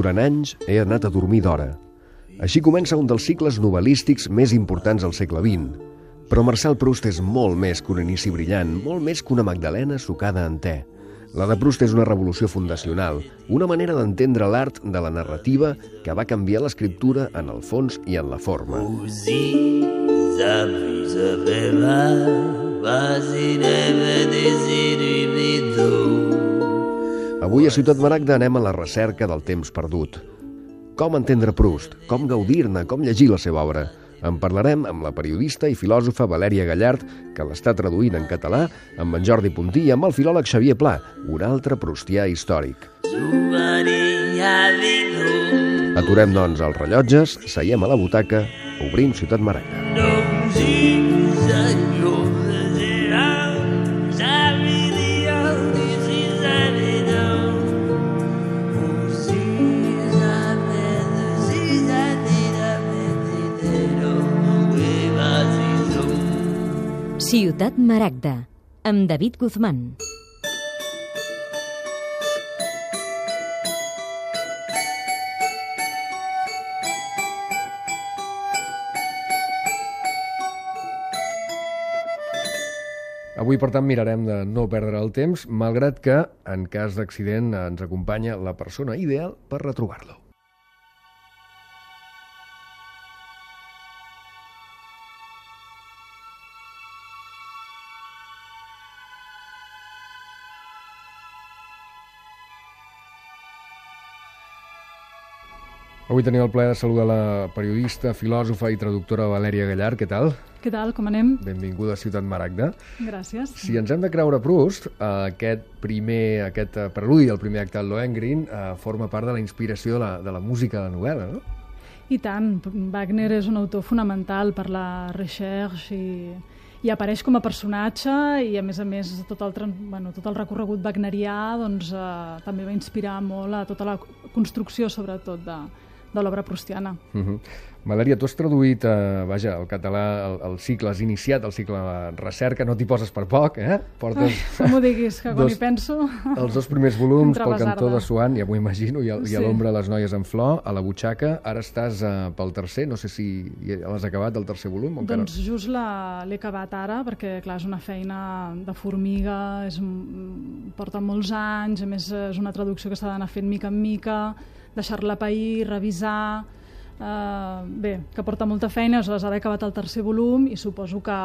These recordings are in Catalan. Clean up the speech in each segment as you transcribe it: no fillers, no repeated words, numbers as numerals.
durant anys he anat a dormir d'hora. Així comença un dels cicles novel·lístics més importants del segle XX. Però Marcel Proust és molt més que un inici brillant, molt més que una magdalena sucada en te. La de Proust és una revolució fundacional, una manera d'entendre l'art de la narrativa que va canviar l'escriptura en el fons i en la forma. Avui a Ciutat Maragda anem a la recerca del temps perdut. Com entendre Proust, com gaudir-ne, com llegir la seva obra. En parlarem amb la periodista i filòsofa Valèria Gallart, que l'està traduint en català, amb en Jordi Puntí i amb el filòleg Xavier Pla, un altre proustià històric. Aturem, doncs, els rellotges, seiem a la butaca, obrim Ciutat Maragda. Ciutat Maragda, amb David Guzmán. Avui, per tant, mirarem de no perdre el temps, malgrat que, en cas d'accident, ens acompanya la persona ideal per retrobar-lo. Avui tenim el plaer de saludar la periodista, filòsofa i traductora Valèria Gallart. Què tal? Què tal, com anem? Benvinguda a Ciutat Maragda. Gràcies. Si ens hem de creure Proust, aquest preludi, el primer acte del Lohengrin, forma part de la inspiració de la música de la novel·la, no? I tant. Wagner és un autor fonamental per la recherche i apareix com a personatge i, a més, tot el recorregut wagnerià doncs, també va inspirar molt a tota la construcció, sobretot, de l'obra proustiana. Valèria, tu has traduït, al català, el cicle, has iniciat el cicle de recerca, no t'hi poses per poc, eh? Portes... no m'ho diguis, que quan hi penso... Els 2 primers volums, pel cantó de Swan, ja m'ho imagino, i a l'ombra les noies en flor, a la butxaca. Ara estàs pel tercer, no sé si l'has acabat, el tercer volum? Doncs just l'he acabat ara, perquè, clar, és una feina de formiga, porta molts anys, a més és una traducció que s'ha d'anar fent mica en mica, deixar-la pair, revisar... que porta molta feina, aleshores ara he acabat el tercer volum i suposo que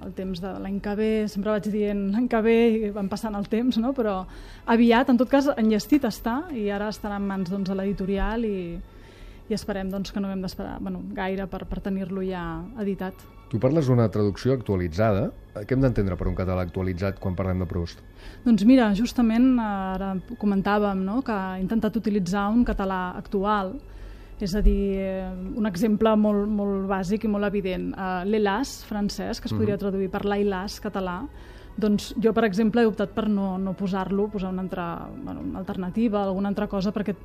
el temps de l'any que ve, sempre vaig dient l'any que ve i van passant el temps, no? Però aviat, en tot cas, enllestit està i ara estarà en mans de l'editorial i esperem que no hem d'esperar gaire per tenir-lo ja editat. Tu parles d'una traducció actualitzada. Què hem d'entendre per un català actualitzat quan parlem de Proust? Doncs mira, justament ara comentàvem que he intentat utilitzar un català actual, és a dir, un exemple molt bàsic i molt evident. L'Hélas francès, que es podria traduir per l'Ailas català, doncs jo, per exemple, he optat per no posar-lo, posar una alternativa, alguna altra cosa, perquè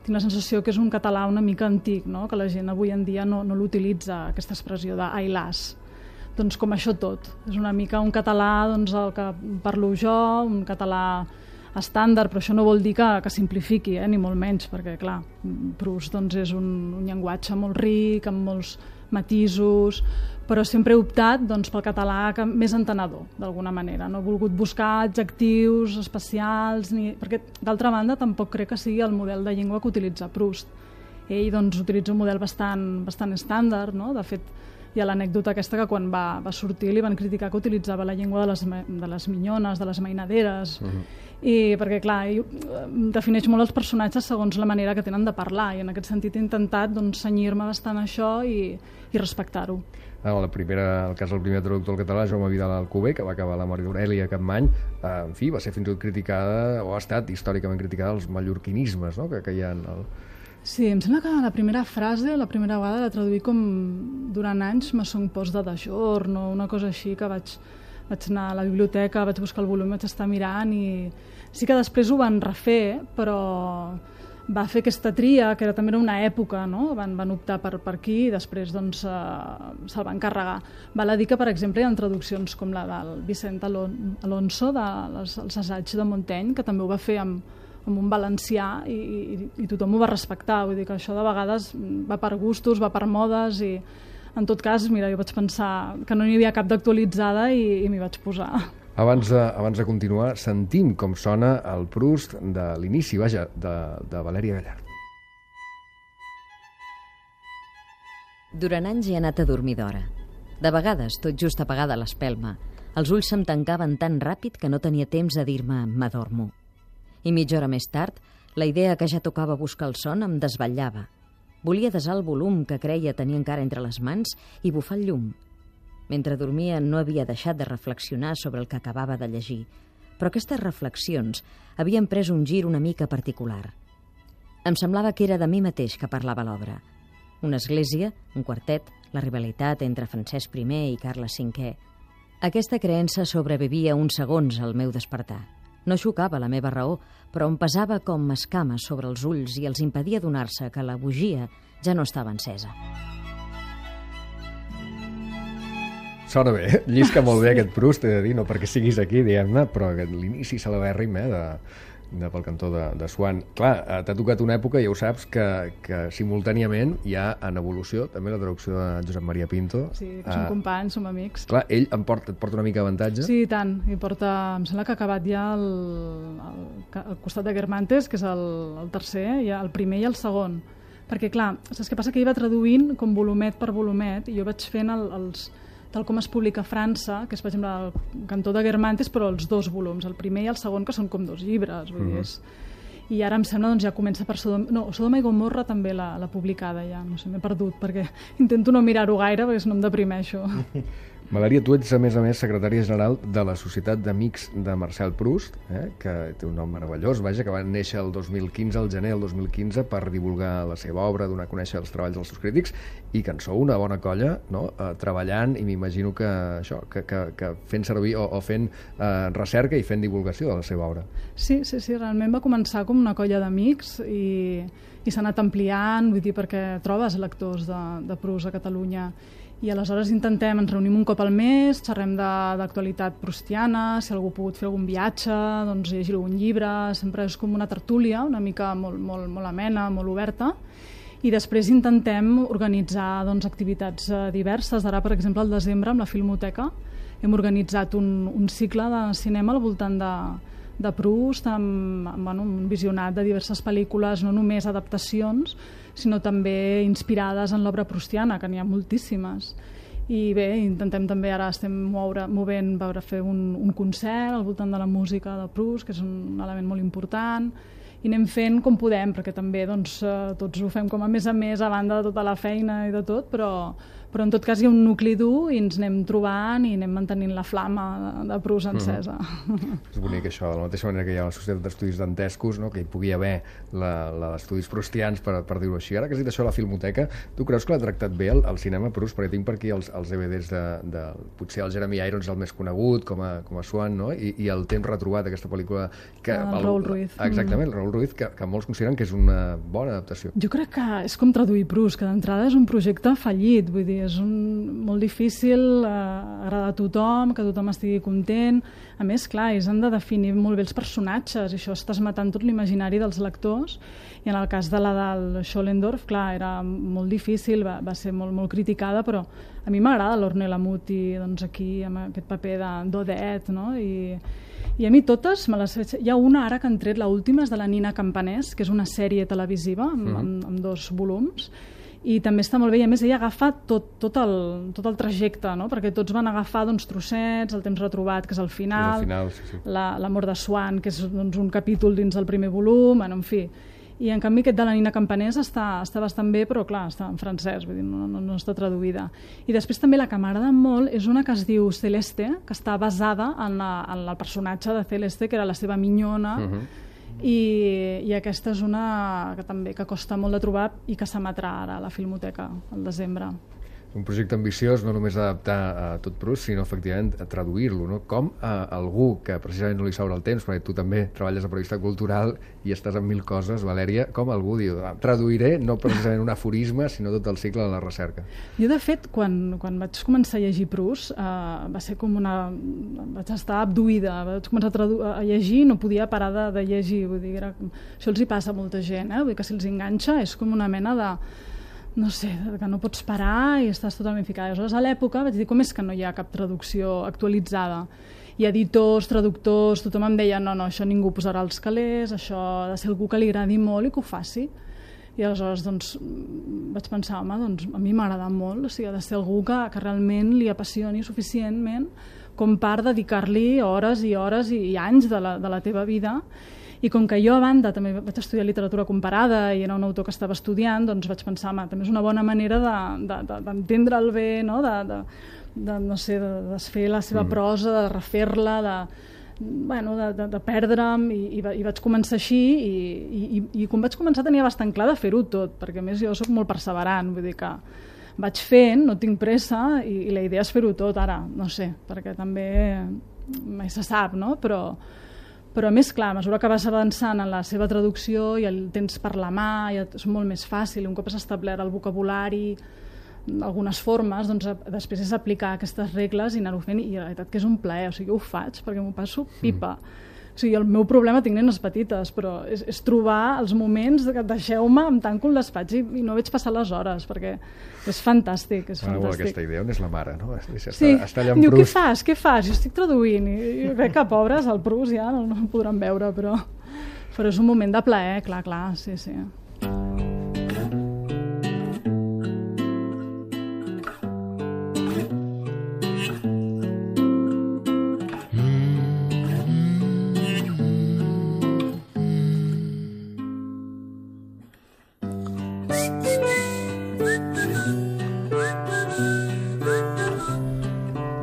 tinc la sensació que és un català una mica antic, no? Que la gent avui en dia no l'utilitza, aquesta expressió d'Ailas. Doncs com això tot. És una mica un català el que parlo jo, un català estàndard, però això no vol dir que simplifiqui, ni molt menys, perquè, clar, Proust és un llenguatge molt ric, amb molts matisos, però sempre he optat pel català més entenedor, d'alguna manera. No he volgut buscar adjectius especials, perquè, d'altra banda, tampoc crec que sigui el model de llengua que utilitza Proust. Ell utilitza un model bastant estàndard, no? De fet, hi ha l'anècdota aquesta que quan va sortir li van criticar que utilitzava la llengua de les minyones, de les mainaderes, i perquè, clar, defineix molt els personatges segons la manera que tenen de parlar, i en aquest sentit he intentat cenyir-me bastant a això i respectar-ho. El cas del primer traductor al català, Jaume Vidal Alcover, que va acabar la Maria Aurèlia Capmany, en fi, va ser fins i tot criticada, o ha estat històricament criticada, els mallorquinismes, no?, que hi ha en el... Sí, em sembla que la primera frase, la primera vegada la traduí com durant anys me son pos de giorno, una cosa així, que vaig anar a la biblioteca, vaig buscar el volum, vaig estar mirant i sí que després ho van refer, però va fer aquesta tria, que també era una època, no? Van optar per aquí i després se'l van carregar. Val a dir que, per exemple, hi ha traduccions com la del Vicent Alonso, dels assaigs de Montaigne, que també ho va fer amb amb un valencià i tothom ho va respectar. Vull dir que això de vegades va per gustos, va per modes i en tot cas, mira, jo vaig pensar que no n'hi havia cap d'actualitzada i m'hi vaig posar. Abans de continuar, sentim com sona el Proust de l'inici, vaja, de Valèria Gallard. Durant anys he anat a dormir d'hora. De vegades, tot just apagada l'espelma, els ulls se'm tancaven tan ràpid que no tenia temps de dir-me «m'adormo». I mitja hora més tard, la idea que ja tocava buscar el son em desvetllava. Volia desar el volum que creia tenir encara entre les mans i bufar el llum. Mentre dormia no havia deixat de reflexionar sobre el que acabava de llegir, però aquestes reflexions havien pres un gir una mica particular. Em semblava que era de mi mateix que parlava l'obra. Una església, un quartet, la rivalitat entre Francesc I i Carles V. Aquesta creença sobrevivia uns segons al meu despertar. No xocava la meva raó, però em pesava com escames sobre els ulls i els impedia adonar-se que la bugia ja no estava encesa. Sona bé, llisca molt bé aquest Proust, he de dir, no perquè siguis aquí, diguem-ne, però l'inici celebèrrim pel cantó de Swann. Clar, t'ha tocat una època, ja ho saps, que simultàniament hi ha en evolució també la traducció de Josep Maria Pinto. Sí, que som companys, som amics. Clar, ell et porta una mica avantatge. Sí, i tant. Em sembla que ha acabat ja al costat de Guermantes, que és el tercer, ja el primer i el segon. Perquè, clar, saps què passa? Que ell va traduint com volumet per volumet, i jo vaig fent tal com es publica a França, que és, per exemple, el Cantó de Guermantes, però els dos volums, el primer i el segon, que són com dos llibres. Vull dir, i ara em sembla, ja comença per Sodoma i Gomorra també la publicada, ja. No sé, m'he perdut, perquè intento no mirar-ho gaire, perquè no em deprimeixo. Valèria, tu ets, a més, secretària general de la Societat d'Amics de Marcel Proust, que té un nom meravellós, vaja, que va néixer el 2015, al gener del 2015, per divulgar la seva obra, donar a conèixer els treballs dels seus crítics, i que en sou una bona colla, no?, treballant, i m'imagino que fent servir o fent recerca i fent divulgació de la seva obra. Sí, realment va començar com una colla d'amics i s'ha anat ampliant, vull dir, perquè trobes lectors de Proust a Catalunya. I aleshores ens reunim un cop al mes, xerrem d'actualitat proustiana, si algú ha pogut fer algun viatge, doncs llegir algun llibre, sempre és com una tertúlia, una mica molt amena, molt oberta, i després intentem organitzar activitats diverses. Ara, per exemple, al desembre, amb la Filmoteca, hem organitzat un cicle de cinema al voltant de Proust, amb un visionat de diverses pel·lícules, no només adaptacions, sinó també inspirades en l'obra proustiana, que n'hi ha moltíssimes. I bé, intentem també, ara estem movent, fer un concert al voltant de la música de Proust, que és un element molt important, i anem fent com podem, perquè també tots ho fem com a més, a banda de tota la feina i de tot, però en tot cas hi ha un nucli dur i ens anem trobant i anem mantenint la flama de Proust encesa. És bonic això, de la mateixa manera que hi ha la Societat d'Estudis Dantescos, no?, que hi pugui haver l'estudis proustians, per dir-ho així. Ara que has dit això a la Filmoteca, tu creus que l'ha tractat bé el cinema Proust? Perquè tinc per aquí els DVDs potser el Jeremy Irons, el més conegut, com a Swann, no?, i el temps retrobat, aquesta pel·lícula... El Raúl Ruiz. Exactament, el Raúl Ruiz, que molts consideren que és una bona adaptació. Jo crec que és com traduir Proust, que d'entrada és un projecte fallit, vull dir, és molt difícil agradar a tothom, que tothom estigui content. A més, clar, ells han de definir molt bé els personatges, i això estàs matant tot l'imaginari dels lectors, i en el cas de la del Schoellendorf, clar, era molt difícil, va ser molt criticada, però a mi m'agrada l'Ornella Muti, aquí, amb aquest paper d'Odette, no?, i a mi totes me les veig. Hi ha una ara que han tret, l'última és de la Nina Campanès, que és una sèrie televisiva amb 2 volums, i també està molt bé, i a més ella agafa tot el trajecte, no?, perquè tots van agafar trossets, el temps retrobat, que és el final, sí. l'amor de Swann, que és un capítol dins del primer volum, en fi. I en canvi aquest de la Nina Campanès està bastant bé, però clar, està en francès, vull dir, no està traduïda. I després també la que m'agrada molt és una que es diu Celeste, que està basada en el personatge de Celeste, que era la seva minyona, i aquesta és una que també costa molt de trobar i que s'emetrà ara a la Filmoteca al desembre. Un projecte ambiciós, no només adaptar a tot Proust, sinó efectivament a traduir-lo, no? Com algú que precisament no li sobra el temps, perquè tu també treballes a periodista cultural i estàs en 1000 coses, Valèria, com algú diu, traduiré no precisament un aforisme, sinó tot el cicle de la recerca. Jo, de fet, quan vaig començar a llegir Proust, va ser com vaig estar abduïda, vaig començar a llegir i no podia parar de llegir, vull dir, això els hi passa a molta gent, vull dir que si els enganxa és com una mena de, no sé, que no pots parar i estàs totalment ficada. Aleshores, a l'època vaig dir, com és que no hi ha cap traducció actualitzada? I editors, traductors, tothom em deia, no, això ningú posarà els calés, això ha de ser algú que li agradi molt i que ho faci. I aleshores doncs, vaig pensar, home, doncs, a mi m'agrada molt, o sigui, ha de ser algú que realment li apassioni suficientment com per dedicar-li hores i hores i anys de la teva vida. I com que jo a banda també vaig estudiar literatura comparada i era un autor que estava estudiant, doncs vaig pensar, també és una bona manera d'entendre'l bé, no? No sé, de desfer la seva prosa, de refer-la, de perdre'm, i vaig començar així i quan vaig començar tenia bastant clar de fer-ho tot, perquè a més jo soc molt perseverant, vull dir que vaig fent, no tinc pressa i la idea és fer-ho tot ara, no sé, perquè també mai se sap, no? Però a més, clar, a mesura que vas avançant en la seva traducció i el tens per la mà, ja és molt més fàcil, un cop has establert el vocabulari, algunes formes, doncs després és aplicar aquestes regles i anar-ho fent, i la veritat que és un plaer, o sigui, jo ho faig perquè m'ho passo pipa. O sigui, el meu problema, tinc nenes petites, però és trobar els moments que deixeu-me, em tanco el despatx i no veig passar les hores, perquè és fantàstic, és fantàstic. Aquesta idea on és la mare, no? Sí, diu, què fas? Jo estic traduint, i veig que pobres, el Proust ja no el podran veure, però és un moment de plaer, clar, sí.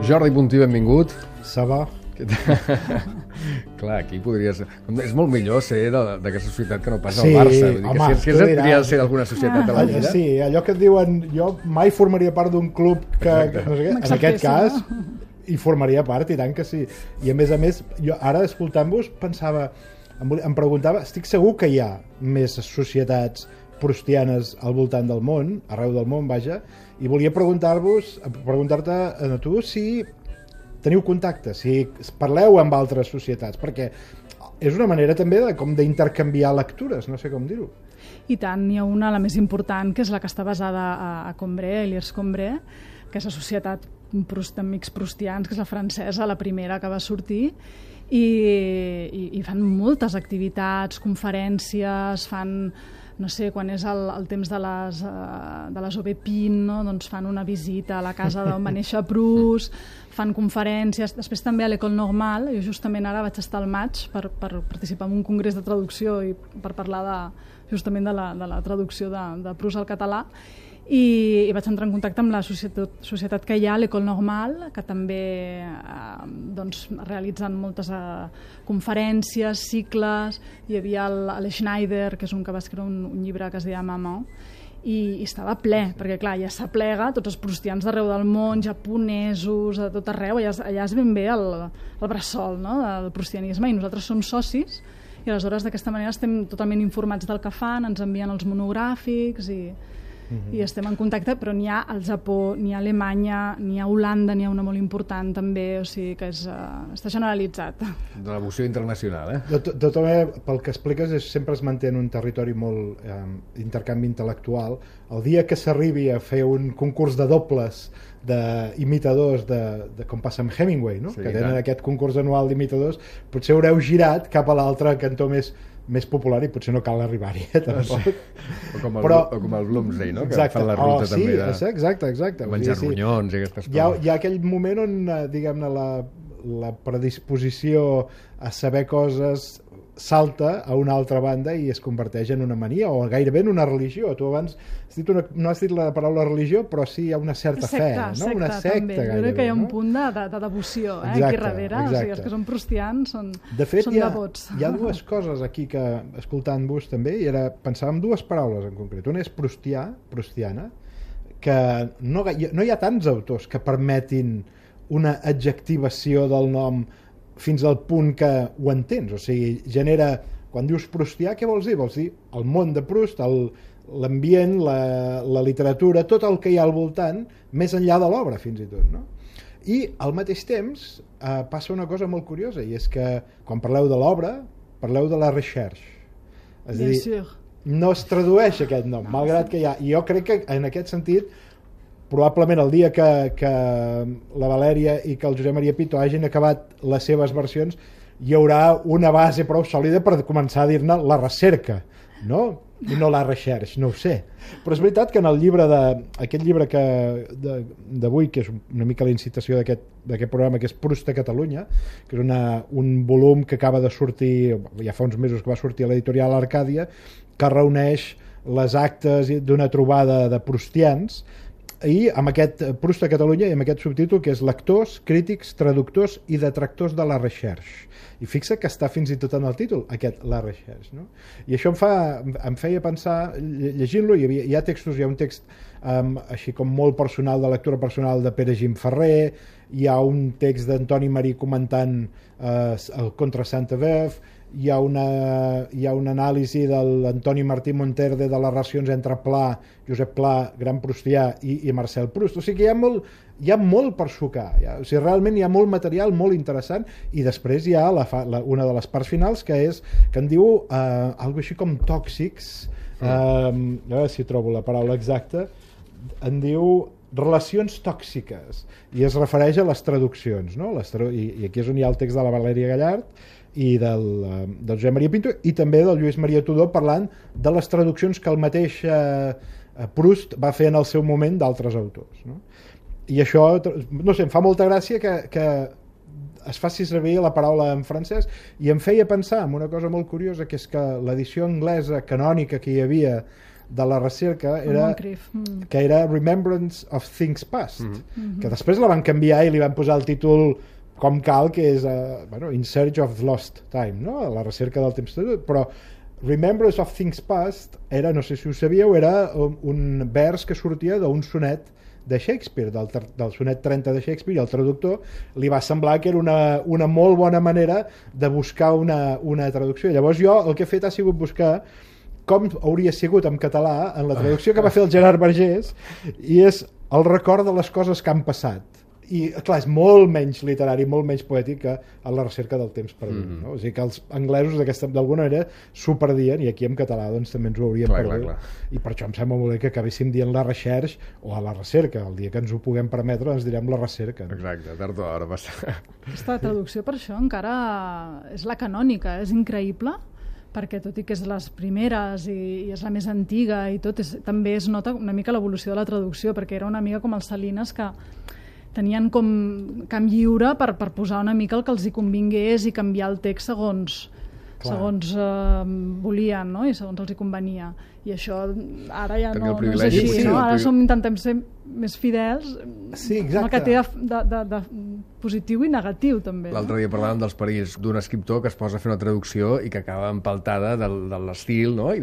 Jordi Puntí, benvingut. Ça va? Clar, aquí podries... És molt millor ser d'aquesta societat que no pas el Barça. Vull dir home, que si hauria de ser d'alguna societat de la vida... Sí, allò que et diuen, jo mai formaria part d'un club que... No sé què, en aquest cas, hi formaria part, i tant que sí. I a més, jo ara escoltant-vos pensava, em preguntava, estic segur que hi ha més societats proustianes al voltant del món, arreu del món, vaja, i volia preguntar-te a tu si teniu contacte, si parleu amb altres societats, perquè és una manera també d'intercanviar lectures, no sé com dir-ho. I tant, n'hi ha una, la més important, que és la que està basada a Combray, a Liers-Combray, que és la Societat d'Amics Proustians, que és la francesa, la primera que va sortir, i fan moltes activitats, conferències, fan... no sé, quan és el temps de les Aubépine, no? Doncs fan una visita a la casa d'on va néixer Proust, fan conferències, després també a l'École Normale, jo justament ara vaig estar al maig per participar en un congrés de traducció i per parlar justament de la traducció de Proust al català, i vaig entrar en contacte amb la societat que hi ha, l'École Normale, que també realitzen moltes conferències, cicles. Hi havia el Schneider, que és un que va escriure un llibre que es deia Maman, i estava ple, perquè clar, ja s'aplega tots els proustians d'arreu del món, japonesos, de tot arreu, allà és ben bé el bressol, no?, del proustianisme, i nosaltres som socis, i aleshores d'aquesta manera estem totalment informats del que fan, ens envien els monogràfics i estem en contacte, però n'hi ha al Japó, n'hi ha a Alemanya, n'hi ha a Holanda, n'hi ha una molt important també, o sigui que està generalitzat. De la devoció internacional, De tota manera, pel que expliques, sempre es manté en un territori molt d'intercanvi intel·lectual. El dia que s'arribi a fer un concurs de dobles d'imitadors, com passa amb Hemingway, no? Sí, que tenen aquest concurs anual d'imitadors, potser haureu girat cap a l'altre cantó més popular i potser no cal arribar-hi, tampoc. O com el Bloomsday, no? Que fan la ruta també de... Exacte. Menjar ronyons i aquestes coses. Hi ha aquell moment on, diguem-ne, la predisposició a saber coses salta a una altra banda i es converteix en una mania o gairebé en una religió. Tu abans no has dit la paraula religió, però sí hi ha una certa fe, no? Una secta també. Jo crec que hi ha un punt de devoció aquí darrere. O sigui, els que són proustians són devots. De fet, hi ha dues coses aquí que, escoltant-vos també, pensava en dues paraules en concret. Una és proustiana, que no hi ha tants autors que permetin una adjectivació del nom fins al punt que ho entens, o sigui, genera, quan dius proustià, què vols dir? Vols dir el món de Proust, l'ambient, la literatura, tot el que hi ha al voltant, més enllà de l'obra fins i tot, no? I al mateix temps passa una cosa molt curiosa, i és que quan parleu de l'obra, parleu de la recherche. És a dir, no es tradueix aquest nom, malgrat que hi ha... I jo crec que en aquest sentit, probablement el dia que la Valèria i que el Josep Maria Pito hagin acabat les seves versions, hi haurà una base prou sòlida per començar a dir-ne la recerca, no? I no la recherche, no ho sé. Però és veritat que en el llibre aquest llibre d'avui, que és una mica la incitació d'aquest programa, que és Proust a Catalunya, que és un volum que acaba de sortir, ja fa uns mesos que va sortir a l'editorial Arcàdia, que reuneix les actes d'una trobada de proustians, i amb aquest Proust a Catalunya i amb aquest subtítol que és Lectors, crítics, traductors i detractors de la recherche. I fixa que està fins i tot en el títol, aquest, la recherche, no? I això em feia pensar, llegint-lo, hi ha textos, hi ha un text així com molt personal, de lectura personal de Pere Gim Ferrer, hi ha un text d'Antoni Marí comentant el Contra Sainte-Beuve, hi ha una anàlisi de l'Antoni Martí Monterde de les relacions entre Pla, Josep Pla, gran proustià, i Marcel Proust. O sigui que hi ha molt per sucar. O sigui, realment hi ha molt material molt interessant, i després hi ha una de les parts finals que en diu alguna així com tòxics, a veure si trobo la paraula exacta, en diu relacions tòxiques, i es refereix a les traduccions, no? I aquí és on hi ha el text de la Valèria Gallard i del Josep Maria Pinto, i també del Lluís Maria Tudor, parlant de les traduccions que el mateix Proust va fer en el seu moment d'altres autors, no? I això, no sé, em fa molta gràcia que es faci servir la paraula en francès, i em feia pensar en una cosa molt curiosa, que és que l'edició anglesa canònica que hi havia de la recerca que era Remembrance of Things Past, que després la van canviar i li van posar el títol com cal, que és In Search of Lost Time, no? La recerca del temps perdut, però Remembrance of Things Past era, no sé si ho sabíeu, era un vers que sortia d'un sonet de Shakespeare, del sonet 30 de Shakespeare, i el traductor li va semblar que era una molt bona manera de buscar una traducció. Llavors jo el que he fet ha sigut buscar com hauria sigut en català en la traducció que va fer el Gerard Vergés, i és el record de les coses que han passat. I clar, és molt menys literari, molt menys poètic que a la recerca del temps perdut, no? O sigui que els anglesos d'alguna manera s'ho perdien, i aquí en català doncs també ens ho hauríem perdut. I per això em sembla molt bé que acabéssim dient la recherche o a la recerca. El dia que ens ho puguem permetre ens direm la recerca, no? Exacte, tard o d'hora passa. Aquesta traducció per això encara és la canònica, és increïble, perquè tot i que és les primeres i és la més antiga i tot, també es nota una mica l'evolució de la traducció, perquè era una mica com els Salines, que tenien com camp lliure per posar una mica el que els hi convingués i canviar el text segons volien, no? I segons els hi convenia. I això ara ja no és així, no? Ara intentem ser més fidels, el que té de positiu i negatiu també. L'altre dia parlàvem dels perills d'un escriptor que es posa a fer una traducció i que acaba empaltada de l'estil, no? I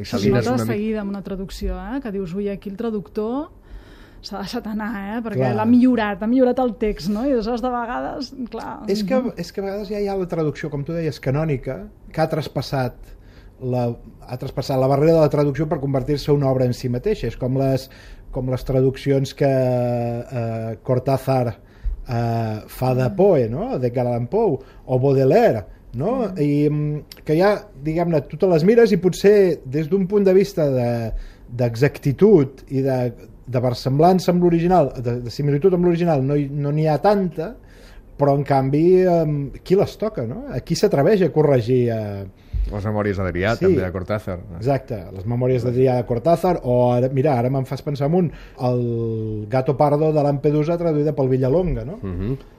Salines de seguida amb una traducció, que dius, ui, aquí el traductor s'ha deixat anar, perquè l'ha millorat el text, no? I aleshores de vegades, clar... És que a vegades ja hi ha la traducció, com tu deies, canònica, que ha traspassat la barrera de la traducció per convertir-se en una obra en si mateixa. És com les traduccions que Cortázar fa de Poe, no? De Edgar Allan Poe, o Baudelaire, no? I que ja, diguem-ne, tu te les mires i potser des d'un punt de vista d'exactitud i de versemblança amb l'original, de similitud amb l'original, no n'hi ha tanta, però en canvi qui les toca, no? Qui s'atreveix a corregir les memòries d'Adrià, també de Cortázar. Exacte, les memòries d'Adrià de Cortázar, o mira, ara me'n fas pensar en el Gato Pardo de Lampedusa traduïda pel Villalonga, no?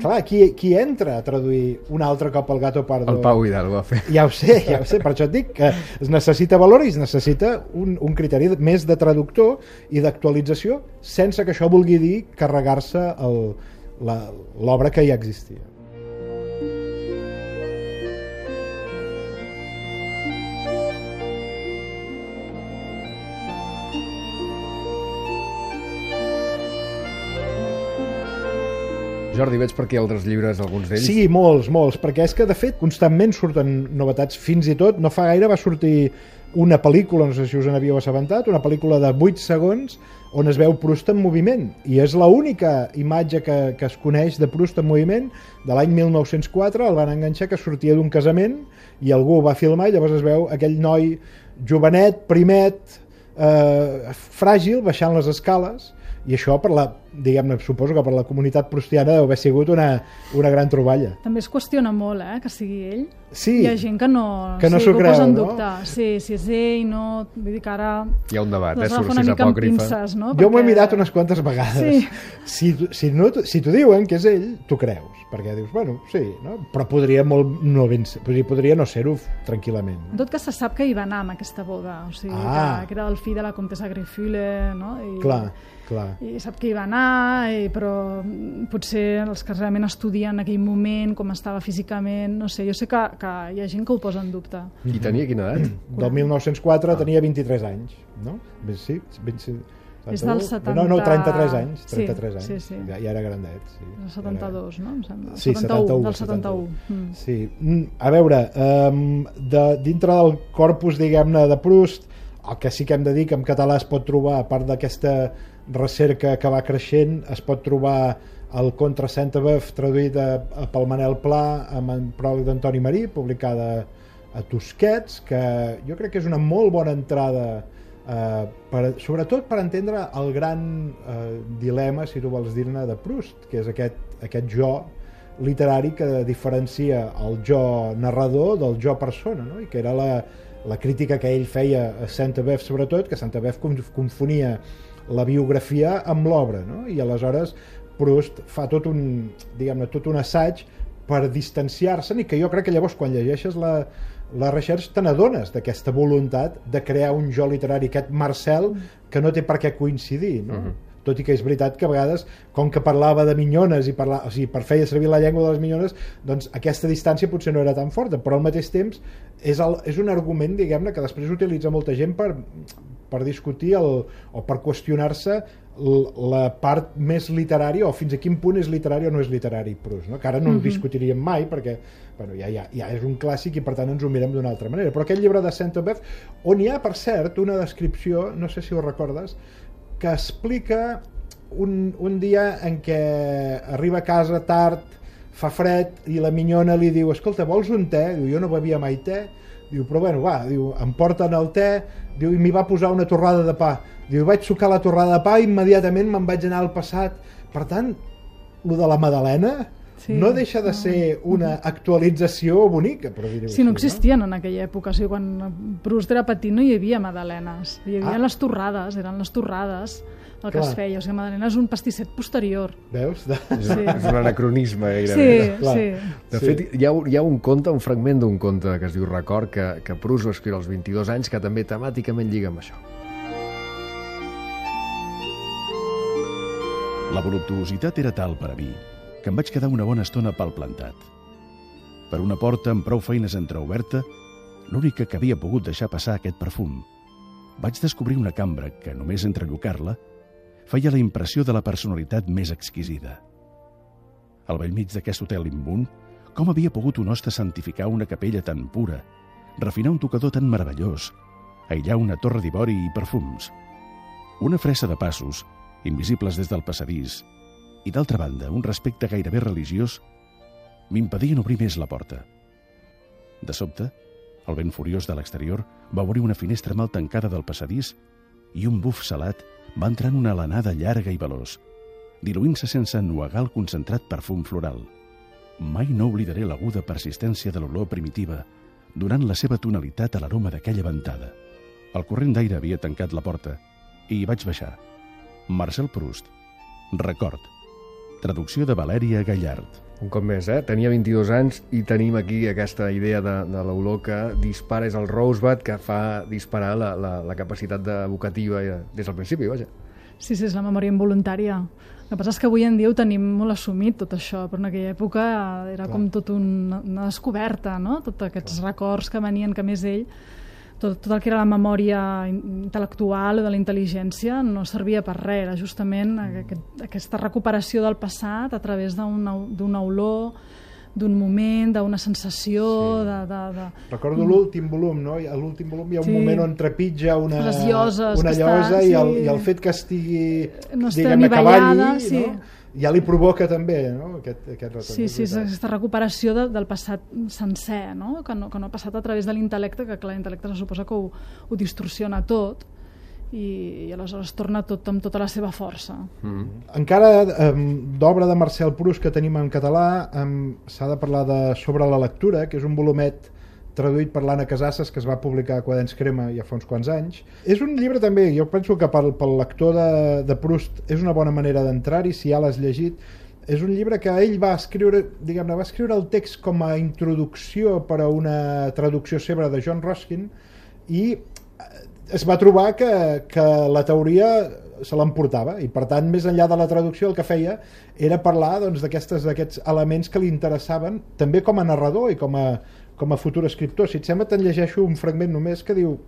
Clar, qui entra a traduir un altre cop el Gato Pardo? El Pau Hidalgo va fer. Ja ho sé, per això et dic que es necessita valor i es necessita un criteri més de traductor i d'actualització, sense que això vulgui dir carregar-se l'obra que ja existia. Jordi, veig per aquí altres llibres, alguns d'ells? Sí, molts, perquè és que, de fet, constantment surten novetats. Fins i tot, no fa gaire va sortir una pel·lícula, no sé si us en havíeu assabentat, una pel·lícula de 8 segons on es veu Proust en moviment, i és l'única imatge que es coneix de Proust en moviment de l'any 1904. El van enganxar que sortia d'un casament i algú ho va filmar i llavors es veu aquell noi jovenet, primet, fràgil, baixant les escales, i això, diguem-ne, suposo que per la comunitat proustiana deu haver sigut una gran troballa. També es qüestiona molt, que sigui ell. Sí, hi ha gent que no s'ho creu, posa en no? dubte. Sí, si és ell, no... Vull dir que ara... Hi ha un debat, surt si és apòcrifa. Pinces, no? Jo m'ho he mirat unes quantes vegades. Sí. Si t'ho diuen que és ell, t'ho creus, perquè dius, bueno, sí, no? Però podria no ser-ho tranquil·lament. En tot cas, se sap que hi va anar amb aquesta boda, o sigui, que era el fill de la comtessa Greyfule, no? Clar. I sap que hi va anar, però potser els que realment estudien en aquell moment, com estava físicament, no sé, jo sé que hi ha gent que ho posa en dubte. I tenia quina edat? Del 1904 tenia 23 anys, no? Sí, 71. És del 70... No, 33 anys. 33 anys. Sí. Ja era grandet. Sí. El 72, no? Em sembla. Sí, 71. Del 71. Sí. A veure, dintre del corpus, diguem-ne, de Proust, el que sí que hem de dir que en català es pot trobar, a part d'aquesta recerca que va creixent, es pot trobar el Contra Sainte-Beuve traduït pel Manel Pla amb en pròleg d'Antoni Marí, publicada a Tusquets, que jo crec que és una molt bona entrada, sobretot per entendre el gran dilema, si tu vols dir-ne, de Proust, que és aquest jo literari que diferencia el jo narrador del jo persona, no? I que era la crítica que ell feia a Sainte-Beuve, sobretot, que Sainte-Beuve confonia la biografia amb l'obra, no? I aleshores Proust fa tot un assaig per distanciar-se'n, i que jo crec que llavors quan llegeixes la recerca te n'adones d'aquesta voluntat de crear un jo literari, aquest Marcel que no té per què coincidir, no? Tot i que és veritat que a vegades, com que parlava de minyones i feia servir la llengua de les minyones, doncs aquesta distància potser no era tan forta, però al mateix temps és un argument, diguem-ne, que després utilitza molta gent per discutir o per qüestionar-se la part més literària, o fins a quin punt és literari o no és literari Proust, no? Que ara no ho discutiríem mai perquè ja és un clàssic i per tant ens ho mirem d'una altra manera. Però aquest llibre de Sainte-Beuve, on hi ha, per cert, una descripció, no sé si ho recordes, que explica un dia en què arriba a casa tard, fa fred, i la minyona li diu: escolta, vols un te? Diu, jo no bevia mai te. Diu, però bueno, va, diu, em porten el te, diu, i m'hi va posar una torrada de pa. Diu, vaig sucar la torrada de pa i immediatament me'n vaig anar al passat. Per tant, lo de la Madalena no deixa de ser una actualització bonica, per dir-ho així. Sí, no existien en aquella època. O sigui, quan Proust era petit no hi havia magdalenes. Hi havia les torrades, eren les torrades el que es feia. O sigui, Madalena és un pastisset posterior. Veus? És un anacronisme gairebé. Sí. De fet, hi ha un conte, un fragment d'un conte que es diu Record, que Proust va escriure als 22 anys, que també temàticament lliga amb això. La voluptuositat era tal per a mi que em vaig quedar una bona estona palplantat. Per una porta amb prou feines entreoberta, l'única que havia pogut deixar passar aquest perfum, vaig descobrir una cambra que, només entrellocar-la, feia la impressió de la personalitat més exquisida. Al bell mig d'aquest hotel immund, com havia pogut un hoste santificar una capella tan pura, refinar un tocador tan meravellós, aïllar una torre d'ivori i perfums, una fressa de passos, invisibles des del passadís, i d'altra banda, un respecte gairebé religiós, m'impedien obrir més la porta. De sobte, el vent furiós de l'exterior va obrir una finestra mal tancada del passadís i un buf salat va entrar en una alenada llarga i veloç, diluint-se sense ennuegar el concentrat perfum floral. Mai no oblidaré l'aguda persistència de l'olor primitiva, donant la seva tonalitat a l'aroma d'aquella ventada. El corrent d'aire havia tancat la porta i hi vaig baixar. Marcel Proust. Record. Traducció de Valèria Gallard. Un cop més, tenia 22 anys i tenim aquí aquesta idea de l'olor que dispara, és el Rosebud que fa disparar la capacitat evocativa des del principi, vaja. Sí, és la memòria involuntària. El que passa és que avui en dia ho tenim molt assumit, tot això, però en aquella època era com tot una descoberta, no? Tots aquests records que venien, que més ell tot el que era la memòria intel·lectual o de la intel·ligència no servia per res, era justament aquesta recuperació del passat a través d'una olor, d'un moment, d'una sensació... Sí. Recordo l'últim volum, no? A l'últim volum hi ha un moment on trepitja una llosa i el fet que estigui, diguem-ne, cavalli, sí. No? Ja li provoca també, no? Aquest retorn. Sí, aquesta recuperació del passat sencer, no? Que no ha passat a través de l'intel·lecte, que clar, l'intel·lecte se suposa que ho distorsiona tot i aleshores torna tot amb tota la seva força. Encara d'obra de Marcel Proust que tenim en català s'ha de parlar de Sobre la lectura, que és un volumet traduït per l'Anna Casasses, que es va publicar a Quaderns Crema ja fa uns quants anys. És un llibre també, jo penso que pel lector de Proust és una bona manera d'entrar-hi, si ja l'has llegit. És un llibre que ell va escriure, diguem-ne, va escriure el text com a introducció per a una traducció seva de John Ruskin i es va trobar que la teoria se l'emportava i per tant més enllà de la traducció el que feia era parlar d'aquests elements que li interessaven també com a narrador i com a futur escriptor. Si et sembla te'n llegeixo un fragment només que diu: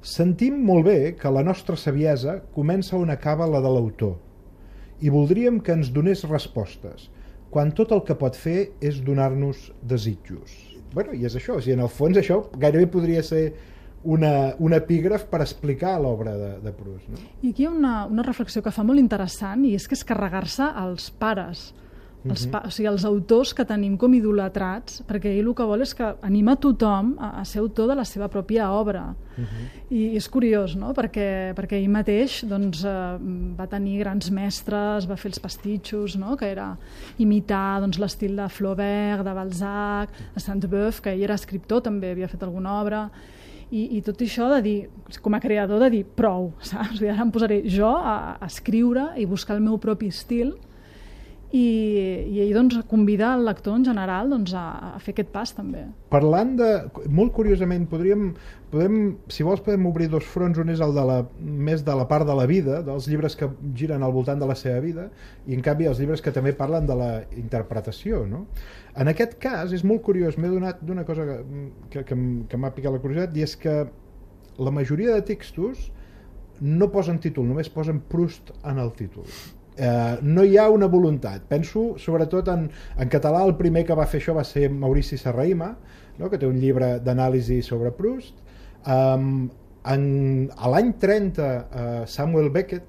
sentim molt bé que la nostra saviesa comença on acaba la de l'autor i voldríem que ens donés respostes quan tot el que pot fer és donar-nos desitjos. Bueno, i és això, en el fons això gairebé podria ser un epígraf per explicar l'obra de Proust. No? I aquí hi ha una reflexió que fa molt interessant i és que és carregar-se als pares, o sigui, els autors que tenim com idolatrats, perquè ell el que vol és que anima tothom a ser autor de la seva pròpia obra. I és curiós, no? perquè ell mateix doncs, va tenir grans mestres, va fer els pastitxos, no? Que era imitar doncs, l'estil de Flaubert, de Balzac, de Sainte-Beuve, que ell era escriptor, també havia fet alguna obra, i tot això de dir, com a creador, de dir prou, saps? Ara em posaré jo a escriure i buscar el meu propi estil i ell doncs, convida el lector en general doncs, a fer aquest pas també. Parlant molt curiosament, si vols podem obrir dos fronts, un és el més de la part de la vida, dels llibres que giren al voltant de la seva vida, i en canvi els llibres que també parlen de la interpretació, no? En aquest cas és molt curiós, m'he donat d'una cosa que m'ha picat la curiositat, i és que la majoria de textos no posen títol, només posen Proust en el títol. No hi ha una voluntat. Penso sobretot en català, el primer que va fer això va ser Maurici Serrahima, no? Que té un llibre d'anàlisi sobre Proust. A l'any 30 Samuel Beckett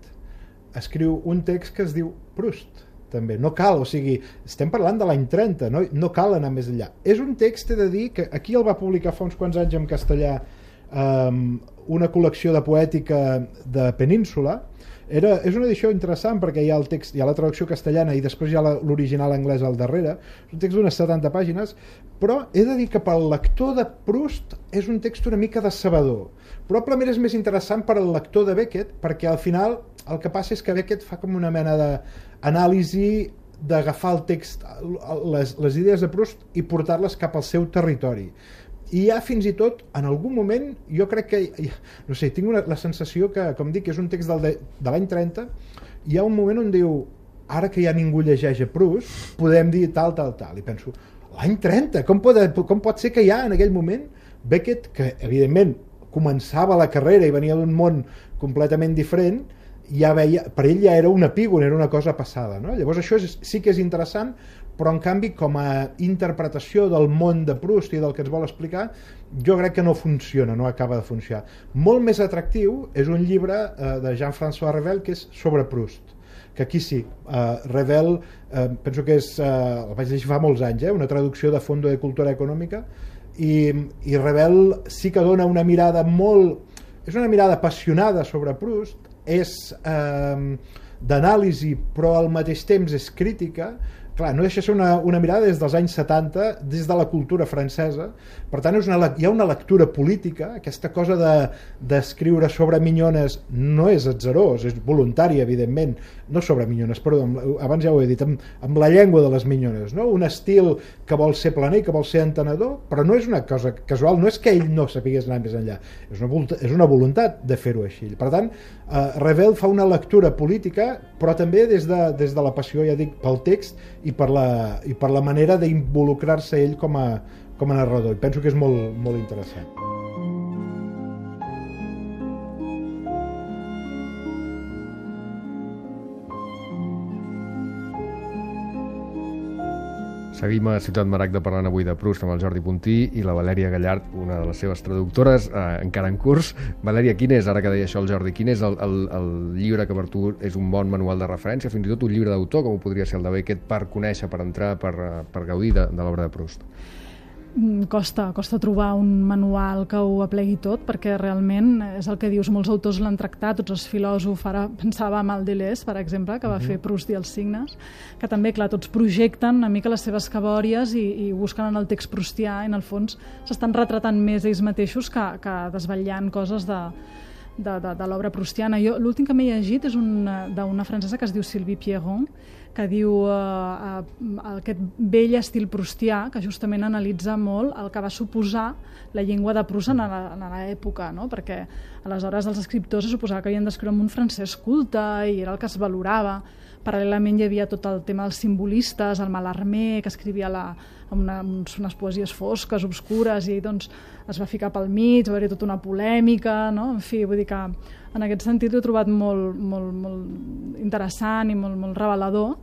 escriu un text que es diu Proust també, no cal, o sigui, estem parlant de l'any 30, no cal anar més enllà. És un text, he de dir, que aquí el va publicar fa uns quants anys en castellà una col·lecció de poètica de Península. És una edició interessant perquè hi ha el text, hi ha la traducció castellana i després hi ha l'original anglès al darrere. És un text d'unes 70 pàgines, però he de dir que pel lector de Proust és un text una mica decebedor. Probablement és més interessant per al lector de Beckett perquè al final el que passa és que Beckett fa com una mena d'anàlisi d'agafar el text, les idees de Proust i portar-les cap al seu territori. I ja fins i tot, en algun moment, jo crec que, no sé, tinc la sensació que, com dic, és un text de l'any 30, hi ha un moment on diu, ara que ja ningú llegeix a Proust, podem dir tal. I penso, l'any 30, com pot ser que ja en aquell moment Beckett, que evidentment començava la carrera i venia d'un món completament diferent, ja veia, per ell ja era un epígon, era una cosa passada, no? Llavors això sí que és interessant, però en canvi com a interpretació del món de Proust i del que ens vol explicar, jo crec que no funciona, no acaba de funcionar. Molt més atractiu és un llibre de Jean-François Revel que és sobre Proust, que aquí sí, Revel penso que és, el vaig llegir fa molts anys, una traducció de Fondo de Cultura Econòmica, i Revel sí que dona una mirada és una mirada apassionada sobre Proust, és d'anàlisi però al mateix temps és crítica. Clar, no deixa de ser una mirada des dels anys 70, des de la cultura francesa, per tant hi ha una lectura política, aquesta cosa d'escriure sobre minyones no és atzarós, és voluntària evidentment, no sobre minyones, perdó, abans ja ho he dit, amb la llengua de les minyones, no? Un estil que vol ser planer, que vol ser entenedor, però no és una cosa casual, no és que ell no sapigués anar més enllà, és una voluntat de fer-ho així. Per tant, Revel fa una lectura política, però també des de la passió, ja dic, pel text i per la manera d'involucrar-se ell com a narrador. I penso que és molt, molt interessant. Seguim a Ciutat Maragda parlant avui de Proust amb el Jordi Puntí i la Valèria Gallard, una de les seves traductores, encara en curs. Valèria, quin és, ara que deia això el Jordi, quin és el llibre que per tu és un bon manual de referència, fins i tot un llibre d'autor, com ho podria ser el de Beckett, per conèixer, per entrar, per gaudir de l'obra de Proust? Costa trobar un manual que ho aplegui tot, perquè realment és el que dius, molts autors l'han tractat, tots els filòsofs, ara pensava en el Deleuze, per exemple, que va fer Proust i els signes, que també, clar, tots projecten una mica les seves cabòries i busquen en el text proustià, i en el fons s'estan retratant més ells mateixos que desvetllant coses de l'obra proustiana. L'últim que m'he llegit és d'una francesa que es diu Sylvie Pierron, que diu aquest vell estil proustià, que justament analitza molt el que va suposar la llengua de Proust en l'època, no? Perquè aleshores els escriptors se suposava que havien d'escriure amb un francès culte i era el que es valorava. Paral·lelament hi havia tot el tema dels simbolistes, el Mallarmé, que escrivia unes poesies fosques, obscures, i doncs es va ficar pel mig, va haver tota una polèmica, no? En fi, vull dir que en aquest sentit ho he trobat molt, molt, molt interessant i molt, molt revelador.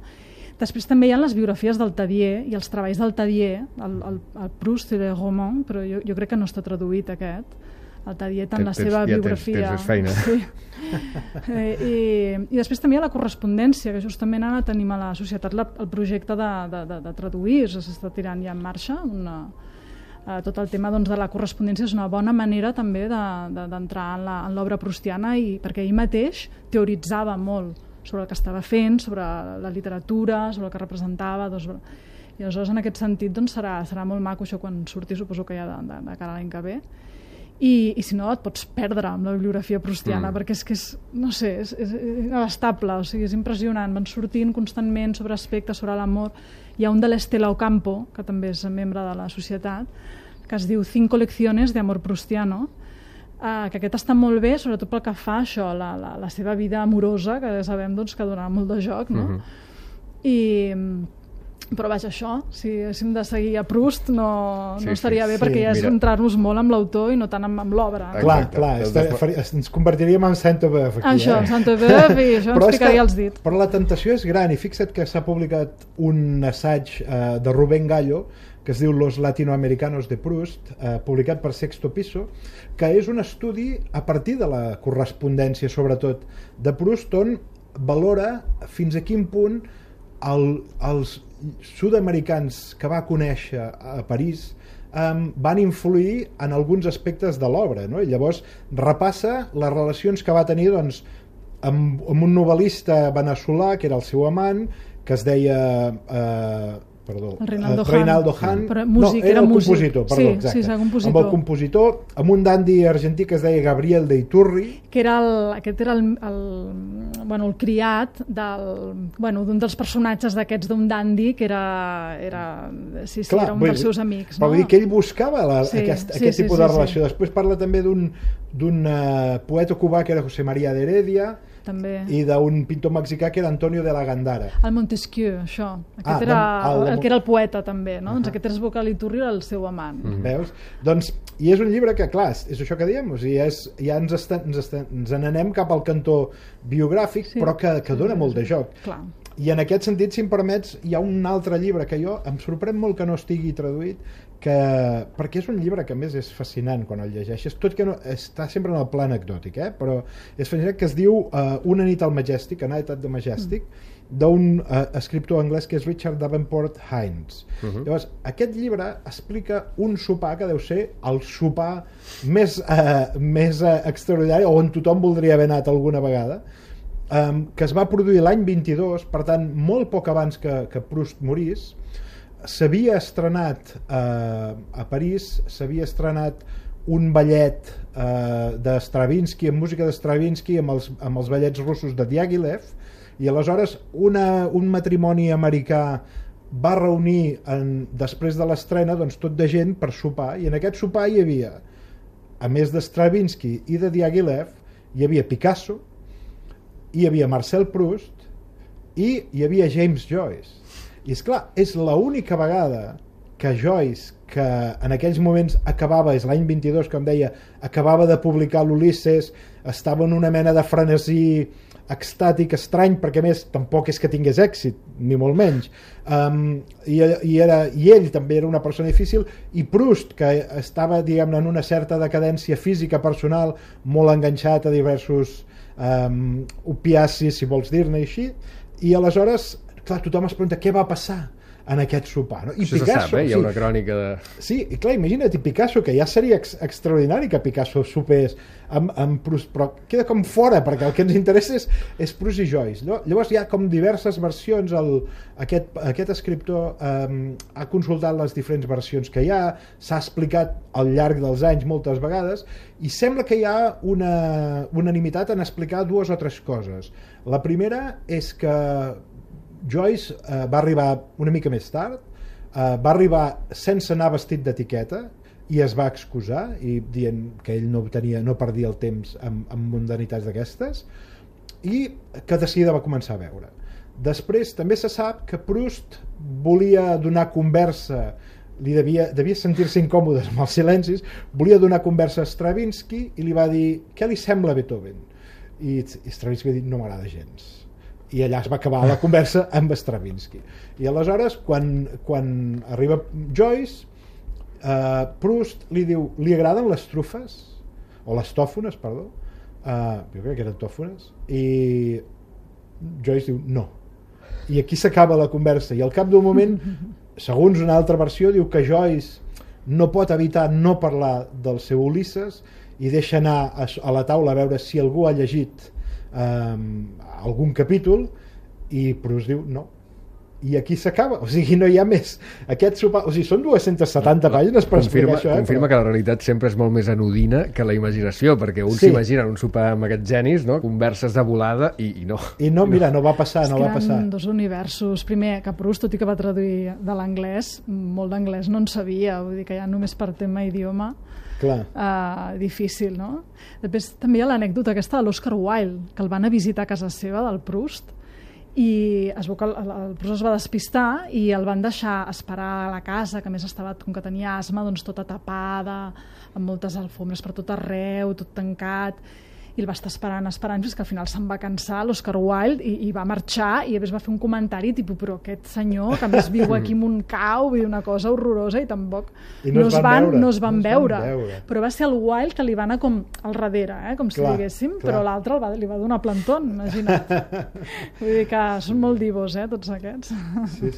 Després també hi ha les biografies del Tadier i els treballs del Tadier, el Proust i le Roman, però jo crec que no està traduït aquest. El Tadier en la seva biografia. Tens feina. Sí. I després també hi ha la correspondència, que justament ara tenim a la societat el projecte de traduir, s'està tirant ja en marxa. Tot el tema de la correspondència és una bona manera també d'entrar en l'obra proustiana, perquè ell mateix teoritzava molt sobre el que estava fent, sobre la literatura, sobre el que representava. I aleshores, en aquest sentit, serà molt maco això quan surti, suposo que ja de cara a l'any que ve. I si no, et pots perdre amb la bibliografia proustiana, perquè és que és inabastable, o sigui, és impressionant, van sortint constantment sobre aspectes, sobre l'amor. Hi ha un de l'Estela Ocampo, que també és membre de la societat, que es diu 5 lecciones de amor proustiano, que aquest està molt bé, sobretot pel que fa això, la seva vida amorosa, que ja sabem que donarà molt de joc, no? Però vaja, això, si haguéssim de seguir a Proust no estaria bé, perquè ja és centrar-nos molt amb l'autor i no tant amb l'obra. Clar, ens convertiríem en Saint-Euveuve aquí. Això, Saint-Euveuve, i això ens picaria els dits. Però la tentació és gran, i fixa't que s'ha publicat un assaig de Rubén Gallo que es diu Los latinoamericanos de Proust, publicat per Sexto Piso, que és un estudi a partir de la correspondència, sobretot, de Proust, on valora fins a quin punt els sud-americans que va conèixer a París van influir en alguns aspectes de l'obra, no? I llavors repassa les relacions que va tenir amb un novel·lista veneçolà que era el seu amant, que es deia Reinaldo Hahn. Era el compositor, exacte. Amb el compositor, amb un dandi argentí que es deia Gabriel de Iturri, que aquest era el criat d'un dels personatges d'aquests d'un dandi, que era un dels seus amics. Però vull dir que ell buscava aquest tipus de relació. Després parla també d'un poeta cubà que era José María de Heredia, i d'un pintor mexicà que era Antonio de la Gandara. El Montesquieu, això. Aquest era el que era el poeta, també, no? Doncs aquest era Bocal Iturri, era el seu amant. Veus? Doncs, i és un llibre que, clar, és això que diem, ja ens n'anem cap al cantó biogràfic, però que dona molt de joc. I en aquest sentit, si em permets, hi ha un altre llibre que em sorprèn molt que no estigui traduït, perquè és un llibre que a més és fascinant quan el llegeixes, tot que està sempre en el pla anecdòtic, però és fascinant, que es diu Una nit al Majestic, A Night at the Majestic, d'un escriptor anglès que és Richard Davenport Hines. Llavors, aquest llibre explica un sopar que deu ser el sopar més extraordinari, on tothom voldria haver anat alguna vegada, que es va produir l'any 22, per tant, molt poc abans que Proust morís. S'havia estrenat a París, s'havia estrenat un ballet de Stravinsky, amb música de Stravinsky, amb els ballets russos de Diaghilev, i aleshores un matrimoni americà va reunir després de l'estrena tot de gent per sopar, i en aquest sopar hi havia, a més de Stravinsky i de Diaghilev, hi havia Picasso, hi havia Marcel Proust i hi havia James Joyce. I esclar, és l'única vegada que Joyce, que en aquells moments acabava, és l'any 22, com deia, acabava de publicar l'Ulisses, estava en una mena de frenesí extàtic, estrany, perquè a més tampoc és que tingués èxit, ni molt menys. I ell també era una persona difícil, i Proust, que estava, diguem-ne, en una certa decadència física personal, molt enganxat a diversos opiacis, si vols dir-ne així, i aleshores, clar, tothom es pregunta què va passar en aquest sopar, no? I això Picasso, se sap, hi ha una crònica de... Sí, i clar, imagina't, i Picasso, que ja seria extraordinari que Picasso sopés amb Proust, però queda com fora, perquè el que ens interessa és Proust i Joyce. Llavors hi ha com diverses versions, aquest escriptor ha consultat les diferents versions que hi ha, s'ha explicat al llarg dels anys moltes vegades, i sembla que hi ha una unanimitat en explicar 2 o 3 coses. La primera és que Joyce va arribar una mica més tard, va arribar sense anar vestit d'etiqueta i es va excusar i dient que ell no perdia el temps amb mundanitats d'aquestes, i que de seguida va començar a veure. Després també se sap que Proust volia donar conversa, devia sentir-se incòmode amb els silencis, volia donar conversa a Stravinsky i li va dir què li sembla Beethoven, i Stravinsky va dir no m'agrada gens, i allà es va acabar la conversa amb Stravinsky. I aleshores quan arriba Joyce, Proust li diu li agraden les trufes o les tòfones, perdó, jo crec que eren tòfones, i Joyce diu no, i aquí s'acaba la conversa, i al cap d'un moment, segons una altra versió, diu que Joyce no pot evitar no parlar del seu Ulisses i deixa anar a la taula a veure si algú ha llegit algun capítol, i Proust diu no, i aquí s'acaba, o sigui, no hi ha més aquest sopar, o sigui, són 270 pàgines per explicar això. Confirma que la realitat sempre és molt més anodina que la imaginació, perquè un s'imagina un sopar amb aquests genis, no? Converses de volada, i no. I no, mira, no va passar, no va passar. Eren 2 universos. Primer, que Proust, tot i que va traduir de l'anglès, molt d'anglès no en sabia, vull dir que ja només per tema idioma difícil, no? Després també hi ha l'anècdota aquesta de l'Oscar Wilde, que el van a visitar a casa seva, del Proust, i es veu que el Proust es va despistar i el van deixar esperar a la casa, que a més estava, com que tenia asma, doncs tota tapada, amb moltes alfombres per tot arreu, tot tancat, i el va estar esperant fins que al final se'n va cansar l'Oscar Wilde i va marxar, i a més va fer un comentari tipus, però aquest senyor que a més viu aquí en un cau, viu una cosa horrorosa, i tampoc no es van veure. Però va ser el Wilde que li va anar com al darrere, com si diguéssim, però l'altre li va donar plantón, imagina't. Vull dir que són molt divos, tots aquests.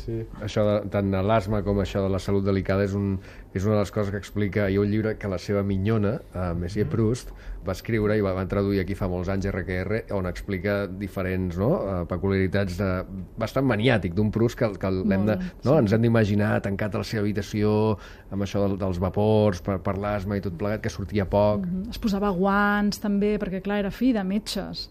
Sí. Això tant de l'asma com això de la salut delicada és una de les coses que explica. Hi ha un llibre que la seva minyona, Monsieur Proust, va escriure i va traduir aquí fa molts anys, RQR, on explica diferents peculiaritats bastant maniàtic d'un Proust que ens hem d'imaginar tancat a la seva habitació amb això dels vapors per l'asma i tot plegat, que sortia poc. Es posava guants també, perquè clar, era fill de metges,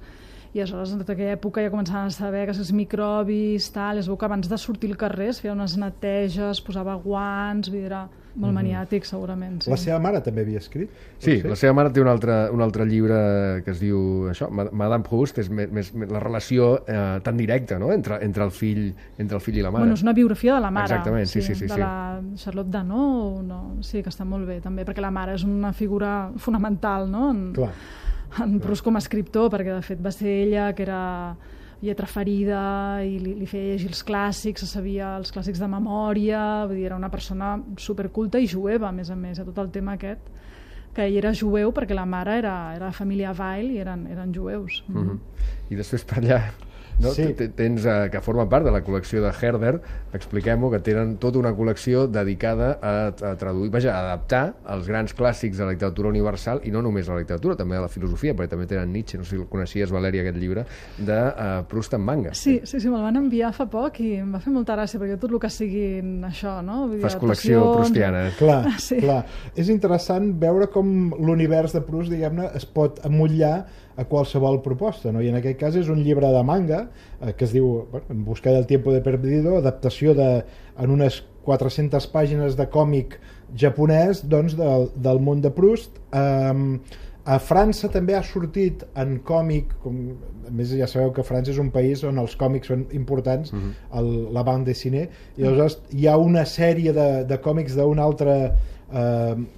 i aleshores en tota aquella època ja començaven a saber que els microbis, es veu que abans de sortir al carrer es feia unes neteges, posava guants, vull dir, era molt maniàtic segurament. Sí. La seva mare també havia escrit? Sí, la seva mare té un altre llibre que es diu això, Madame Proust, és més la relació tan directa, no?, entre el fill i la mare. Bueno, és una biografia de la mare. Exactament, sí. De la Charlotte Danó, sí, que està molt bé també, perquè la mare és una figura fonamental, no?, en Proust com a escriptor, perquè de fet va ser ella que era lletra ferida i li feia llegir els clàssics, sabia els clàssics de memòria, vull dir, era una persona superculta i jueva, a més, a tot el tema aquest, que ell era jueu perquè la mare era família Weil i eren jueus. I després per allà tens que forma part de la col·lecció de Herder, expliquem-ho, que tenen tota una col·lecció dedicada a traduir, a adaptar els grans clàssics de la literatura universal, i no només a la literatura, també a la filosofia, perquè també tenen Nietzsche, no sé si el coneixies, Valèria, aquest llibre de Proust en manga. Sí, me'l van enviar fa poc i em va fer molta gràcia, perquè tot el que siguin això, no? Fas col·lecció proustiana. Clar. És interessant veure com l'univers de Proust, diguem-ne, es pot emmotllar a qualsevol proposta, no? I en aquest cas és un llibre de manga que es diu En busca del tiempo de perdido, adaptació en unes 400 pàgines de còmic japonès, doncs, del món de Proust. A França també ha sortit en còmic, a més ja sabeu que França és un país on els còmics són importants, la bande dessinée, i llavors hi ha una sèrie de còmics d'un altre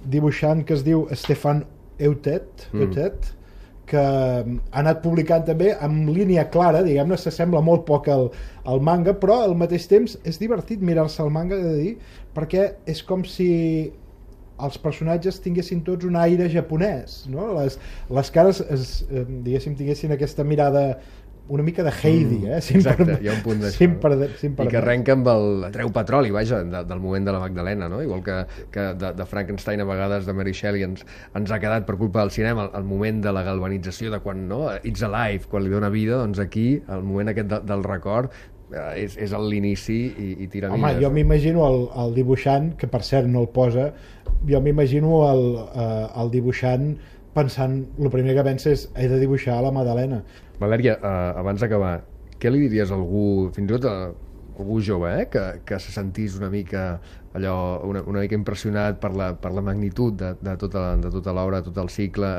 dibuixant que es diu Stéphane Houtet, que ha anat publicant també amb línia clara, diguem-ne, s'assembla molt poc al manga, però al mateix temps és divertit mirar-se el manga, he de dir, perquè és com si els personatges tinguessin tots un aire japonès, no? Les cares diguéssim, tinguessin aquesta mirada una mica de Heidi, exacte, hi ha un punt d'això. I que arrenca amb el treu petroli, vaja, del moment de la Magdalena, no? Igual que de Frankenstein a vegades de Mary Shelley ens ha quedat per culpa del cinema el moment de la galvanització de quan, no? It's alive, quan li dona vida, doncs aquí el moment aquest del record és l'inici i tira vida. Home, jo m'imagino el dibuixant, que per cert no el posa, jo m'imagino el dibuixant pensant, el primer que pensa és he de dibuixar la Magdalena. Valèria, abans d'acabar, què li diries a algú, fins i tot a algú jove, que se sentís una mica allò, una mica impressionat per la magnitud de tota l'obra, tot el cicle?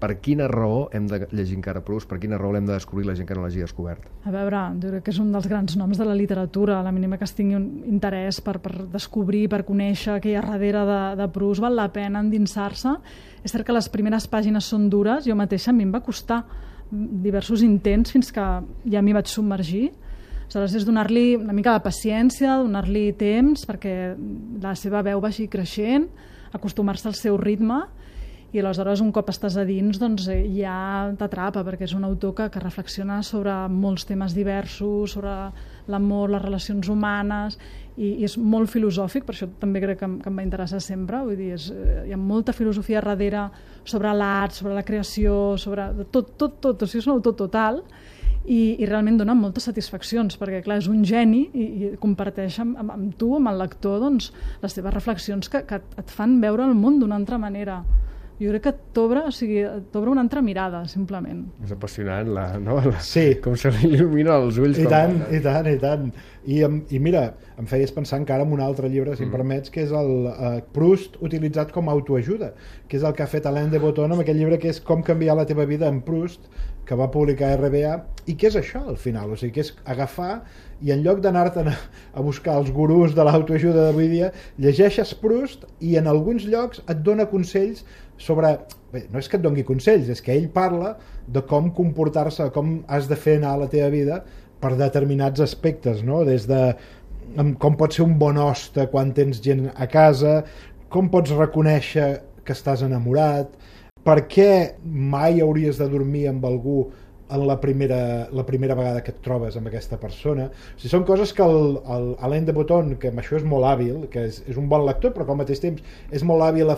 Per quina raó hem de llegir encara Proust? Per quina raó l'hem de descobrir la gent que no l'hagi descobert? A veure, jo crec que és un dels grans noms de la literatura. A la mínima que es tingui un interès per descobrir, per conèixer què hi ha darrere de Proust, val la pena endinsar-se. És cert que les primeres pàgines són dures, jo mateixa a mi em va costar diversos intents fins que ja m'hi vaig submergir. Aleshores és donar-li una mica de paciència, donar-li temps perquè la seva veu vagi creixent, acostumar-se al seu ritme, i aleshores un cop estàs a dins doncs ja t'atrapa, perquè és un autor que reflexiona sobre molts temes diversos, sobre l'amor, les relacions humanes, i és molt filosòfic, per això també crec que em va interessar sempre. Vull dir, hi ha molta filosofia darrere sobre l'art, sobre la creació, sobre tot, o sigui, és un autor total, i realment dona moltes satisfaccions, perquè clar, és un geni i comparteix amb tu, amb el lector, doncs, les teves reflexions que et fan veure el món d'una altra manera. Jo crec que t'obre una altra mirada, simplement. És apassionant, sí. Com se li il·lumina els ulls. I tant. I mira, em feies pensar encara en un altre llibre, si em permets, que és el Proust utilitzat com a autoajuda, que és el que ha fet Alain de Botton amb aquell llibre que és Com canviar la teva vida en Proust, que va publicar RBA, i què és això al final? O sigui, que és agafar i en lloc d'anar-te'n a buscar els gurús de l'autoajuda d'avui dia, llegeixes Proust i en alguns llocs et dona consells sobre... Bé, no és que et doni consells, és que ell parla de com comportar-se, com has de fer anar a la teva vida per determinats aspectes, no? Des de com pot ser un bon hoste quan tens gent a casa, com pots reconèixer que estàs enamorat, per què mai hauries de dormir amb algú en la primera vegada que et trobes amb aquesta persona. O sigui, són coses que Alain de Botton, que amb això és molt hàbil, que és un bon lector, però que al mateix temps és molt hàbil a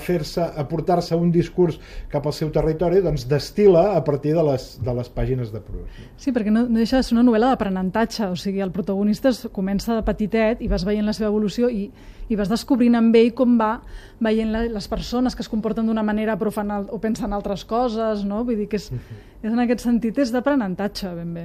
portar-se un discurs cap al seu territori, doncs destil·la a partir de les pàgines de Proust. Sí, perquè no deixa de ser una novel·la d'aprenentatge, o sigui, el protagonista comença de petitet i vas veient la seva evolució i vas descobrint amb ell com va veient les persones que es comporten d'una manera però fan o pensen altres coses, no? Vull dir que és en aquest sentit és d'aprenentatge, ben bé.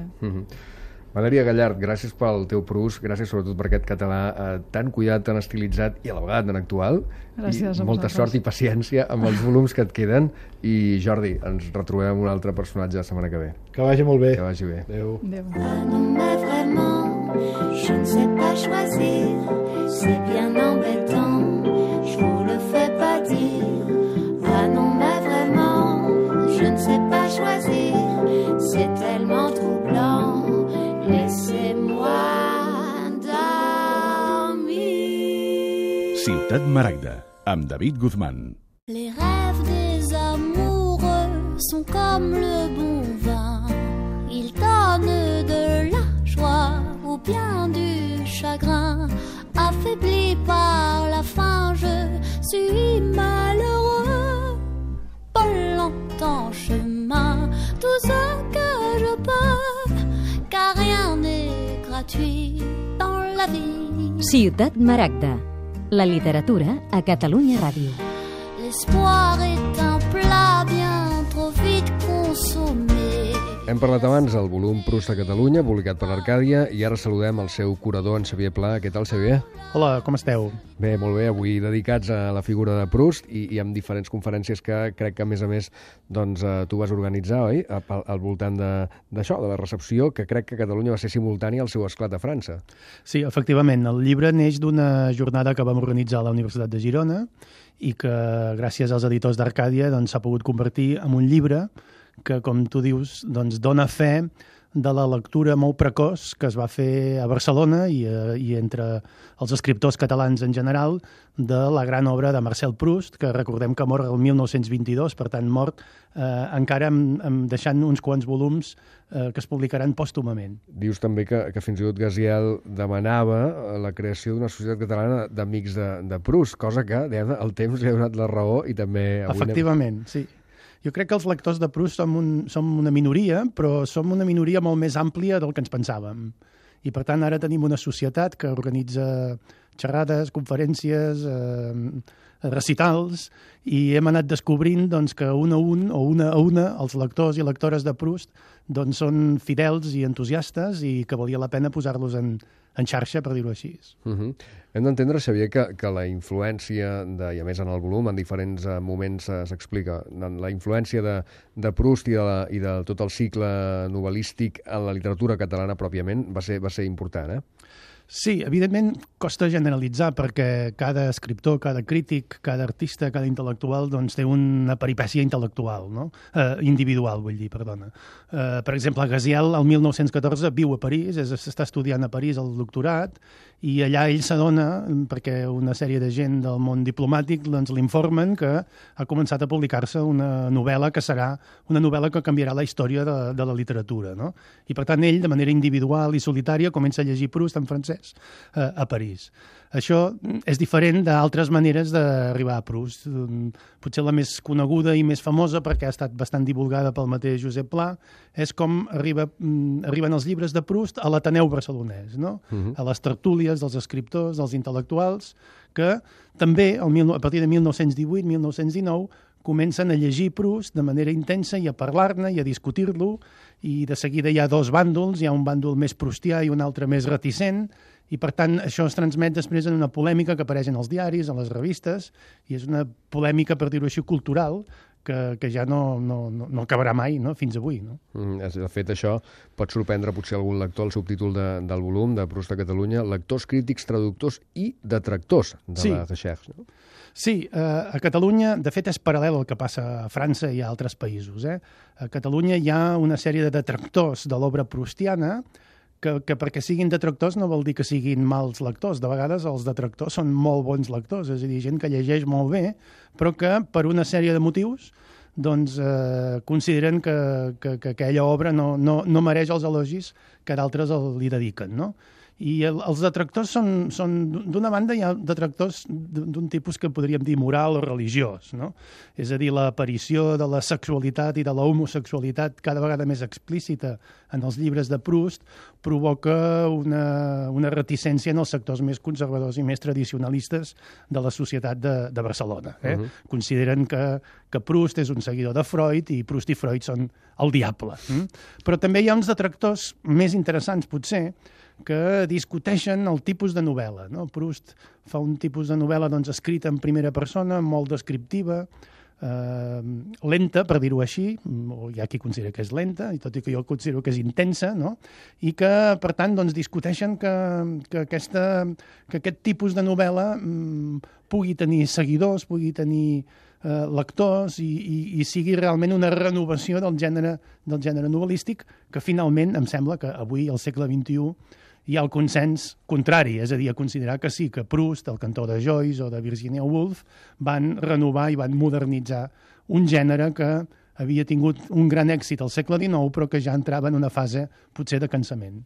Valèria Gallard, gràcies pel teu Proust, gràcies sobretot per aquest català tan cuidat, tan estilitzat i a la vegada tan actual. Gràcies a molta vosaltres. sort i paciència amb els volums que et queden, i Jordi, ens retrobem amb un altre personatge la setmana que ve. Que vagi molt bé. Que vagi bé. Adéu. Je ne sais pas choisir, c'est bien embêtant, je vous le fais pas dire. Ah non, mais vraiment, je ne sais pas choisir, c'est tellement troublant, laissez-moi dormir. Ciutat Maragda, amb David Guzmán. Les rêves des amoureux sont comme le bon vin, ils donnent de la joie ou bien du chagrin. Affaibli par la faim, je suis malheureux. Pas longtemps chemin, tout ce que je peux, car rien n'est gratuit dans la vie. Ciutat Maragda, la literatura a Catalunya Ràdio. L'espoir est un plat bien trop vite consommé. Hem parlat abans del volum Proust a Catalunya, publicat per l'Arcàdia, i ara saludem el seu curador, en Xavier Pla. Què tal, Xavier? Hola, com esteu? Bé, molt bé. Avui dedicats a la figura de Proust i amb diferents conferències que crec que, a més, doncs, tu vas organitzar, oi? Al voltant d'això, de la recepció, que crec que a Catalunya va ser simultània al seu esclat a França. Sí, efectivament. El llibre neix d'una jornada que vam organitzar a la Universitat de Girona i que, gràcies als editors d'Arcàdia, doncs, s'ha pogut convertir en un llibre que, com tu dius, doncs dona fe de la lectura molt precoç que es va fer a Barcelona i entre els escriptors catalans en general de la gran obra de Marcel Proust, que recordem que mor el 1922, per tant mort encara deixant uns quants volums que es publicaran pòstumament. Dius també que fins i tot Gaziel demanava la creació d'una societat catalana d'amics de Proust, cosa que el temps li ha donat la raó i també... Efectivament, sí. Jo crec que els lectors de Proust som una minoria, però som una minoria molt més àmplia del que ens pensàvem. I, per tant, ara tenim una societat que organitza xerrades, conferències, recitals, i hem anat descobrint doncs, que un a un, o una a una, els lectors i lectores de Proust doncs, són fidels i entusiastes i que valia la pena posar-los en xarxa, per dir-ho així. Hem d'entendre, Xavier, que la influència, i a més en el volum, en diferents moments s'explica, la influència de Proust i de tot el cicle novel·lístic en la literatura catalana pròpiament va ser important, eh? Sí, evidentment costa generalitzar perquè cada escriptor, cada crític, cada artista, cada intel·lectual doncs, té una peripècia intel·lectual, no? Individual, vull dir, perdona. Per exemple, Gaziel, el 1914, viu a París, està estudiant a París el doctorat, i allà ell s'adona, perquè una sèrie de gent del món diplomàtic doncs, l'informen que ha començat a publicar-se una novel·la que serà una novel·la que canviarà la història de la literatura, no? I per tant ell, de manera individual i solitària, comença a llegir Proust en francès a París. Això és diferent d'altres maneres d'arribar a Proust. Potser la més coneguda i més famosa, perquè ha estat bastant divulgada pel mateix Josep Pla, és com arriben els llibres de Proust a l'Ateneu barcelonès, no? A les tertúlies dels escriptors, dels intel·lectuals, que també, a partir de 1918-1919, comencen a llegir Proust de manera intensa i a parlar-ne i a discutir-lo, i de seguida hi ha dos bàndols, hi ha un bàndol més proustià i un altre més reticent, i per tant això es transmet després en una polèmica que apareix en els diaris, en les revistes, i és una polèmica, per dir-ho així, cultural, que ja no acabarà mai, no? Fins avui. No? De fet, això pot sorprendre potser algun lector, el subtítol del volum de Proust a Catalunya, lectors, crítics, traductors i detractors de la recherche. No? Sí, a Catalunya, de fet, és paral·lel al que passa a França i a altres països. A Catalunya hi ha una sèrie de detractors de l'obra proustiana que perquè siguin detractors no vol dir que siguin mals lectors. De vegades els detractors són molt bons lectors, és a dir, gent que llegeix molt bé, però que per una sèrie de motius doncs, consideren que aquella obra no mereix els elogis que d'altres li dediquen, no? I els detractors són d'una banda, hi ha detractors d'un tipus que podríem dir moral o religiós, no? És a dir, l'aparició de la sexualitat i de la homosexualitat cada vegada més explícita en els llibres de Proust provoca una reticència en els sectors més conservadors i més tradicionalistes de la societat de Barcelona. Consideren que Proust és un seguidor de Freud i Proust i Freud són el diable. Però també hi ha uns detractors més interessants, potser, que discuteixen el tipus de novel·la. No? Proust fa un tipus de novel·la doncs, escrita en primera persona, molt descriptiva, lenta, per dir-ho així, o hi ha qui considera que és lenta, i tot i que jo considero que és intensa, no? I que, per tant, doncs, discuteixen que aquest tipus de novel·la pugui tenir seguidors, pugui tenir lectors i sigui realment una renovació del gènere novel·lístic que finalment em sembla que avui, al segle XXI, hi ha el consens contrari, és a dir, a considerar que sí, que Proust, el cantor de Joyce o de Virginia Woolf van renovar i van modernitzar un gènere que havia tingut un gran èxit al segle XIX però que ja entrava en una fase potser de cansament.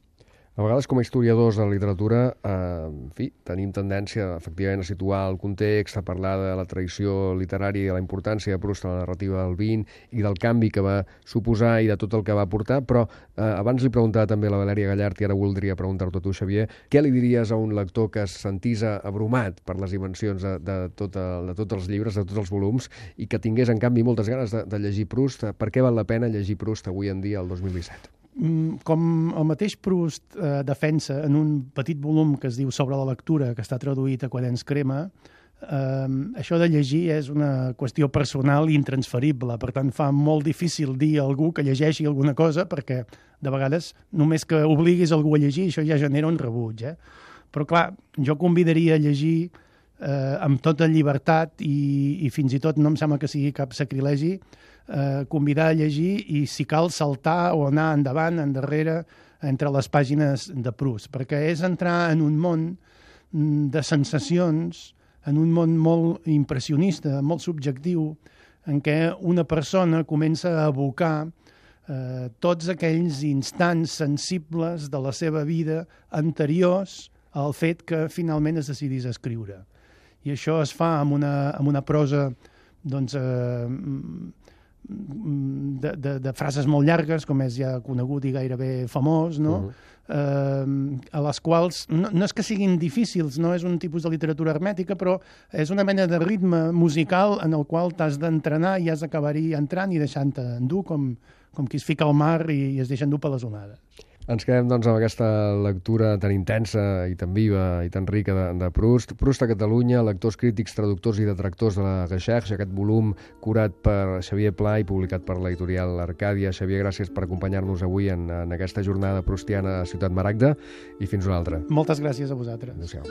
A vegades, com a historiadors de la literatura, en fi, tenim tendència, efectivament, a situar el context, a parlar de la tradició literària i de la importància de Proust a la narrativa del XX i del canvi que va suposar i de tot el que va portar, però abans li preguntava també a la Valèria Gallart i ara voldria preguntar-t'ho a tu, Xavier, què li diries a un lector que es sentís abrumat per les dimensions de tots els llibres, de tots els volums, i que tingués, en canvi, moltes ganes de llegir Proust? Per què val la pena llegir Proust avui en dia, el 2017? Com el mateix Proust defensa en un petit volum que es diu Sobre la lectura, que està traduït a Quaderns Crema, això de llegir és una qüestió personal i intransferible, per tant fa molt difícil dir a algú que llegeixi alguna cosa perquè de vegades només que obliguis algú a llegir això ja genera un rebuig. Però clar, jo convidaria a llegir amb tota llibertat i fins i tot no em sembla que sigui cap sacrilegi convidar a llegir i, si cal, saltar o anar endavant, endarrere, entre les pàgines de Proust, perquè és entrar en un món de sensacions, en un món molt impressionista, molt subjectiu, en què una persona comença a evocar tots aquells instants sensibles de la seva vida anteriors al fet que finalment es decidís a escriure. I això es fa amb una prosa doncs, de frases molt llargues, com és ja conegut i gairebé famós, no? A les quals no és que siguin difícils, no és un tipus de literatura hermètica, però és una mena de ritme musical en el qual t'has d'entrenar i has d'acabar-hi entrant i deixant-te endur, com qui es fica al mar i es deixa endur per les onades. Ens quedem doncs amb aquesta lectura tan intensa i tan viva i tan rica de Proust. Proust a Catalunya, lectors, crítics, traductors i detractors de la Recherche, aquest volum curat per Xavier Pla i publicat per l'editorial Arcàdia. Xavier, gràcies per acompanyar-nos avui en aquesta jornada proustiana a Ciutat Maragda i fins una altra. Moltes gràcies a vosaltres. Adéu-siau.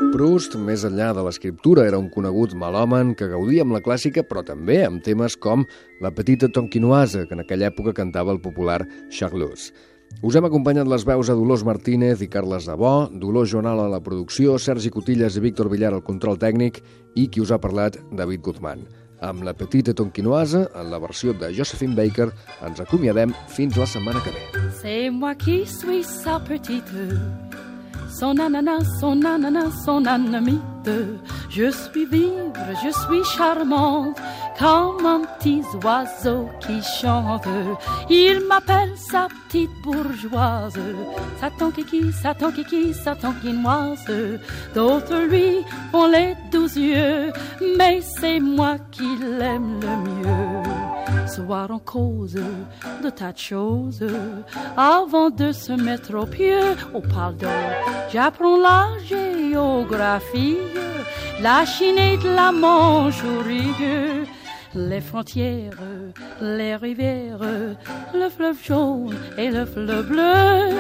Proust, més enllà de l'escriptura, era un conegut melòman que gaudia amb la clàssica, però també amb temes com La petite tonkinoise, que en aquella època cantava el popular Charlus. Us hem acompanyat les veus a Dolors Martínez i Carles Dabó, Dolors Joanal a la producció, Sergi Cotillas i Víctor Villar al control tècnic i qui us ha parlat, David Guzmán. Amb La petite tonkinoise, en la versió de Josephine Baker, ens acomiadem fins la setmana que ve. C'est moi qui suis sa petite, son ananas, son ananas, son anamite. Je suis vivre, je suis charmante, comme un petit oiseau qui chante. Il m'appelle sa petite bourgeoise, sa tonkiki, sa tonkiki, sa tonkinoise. D'autres lui font les 12 yeux, mais c'est moi qui l'aime le mieux. Soir en cause de tas de choses, avant de se mettre au pied, au pardon, j'apprends la géographie, la Chine et de la Mandchourie, les frontières, les rivières, le fleuve jaune et le fleuve bleu.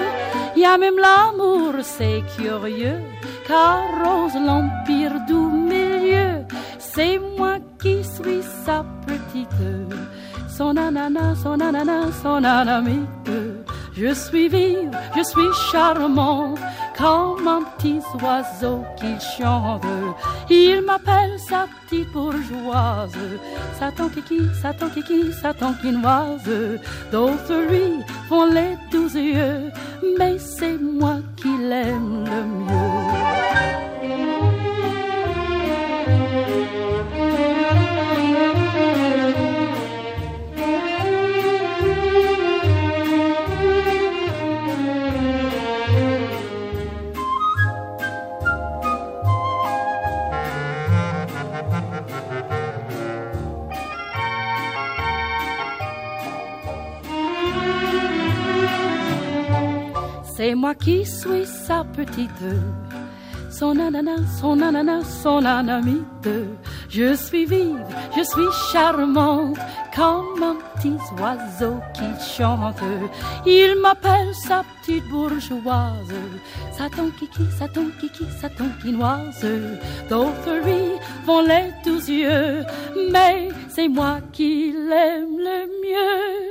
Il y a même l'amour, c'est curieux, qu'arrose l'empire du milieu. C'est moi qui suis sa petite, son ananas, son ananas, son anamite. Je suis vive, je suis charmante, comme un petit oiseau qui chante. Il m'appelle sa petite bourgeoise, sa tonkiki, sa tonkiki, sa tonkinoise. D'autres lui font les 12 yeux, mais c'est moi qui l'aime le mieux. C'est moi qui suis sa petite, son ananas, son ananas, son anamite. Je suis vive, je suis charmante, comme un petit oiseau qui chante. Il m'appelle sa petite bourgeoise, sa tonkiki, sa tonkiki, sa tonkinoise. D'autres lui font les 12 yeux, mais c'est moi qui l'aime le mieux.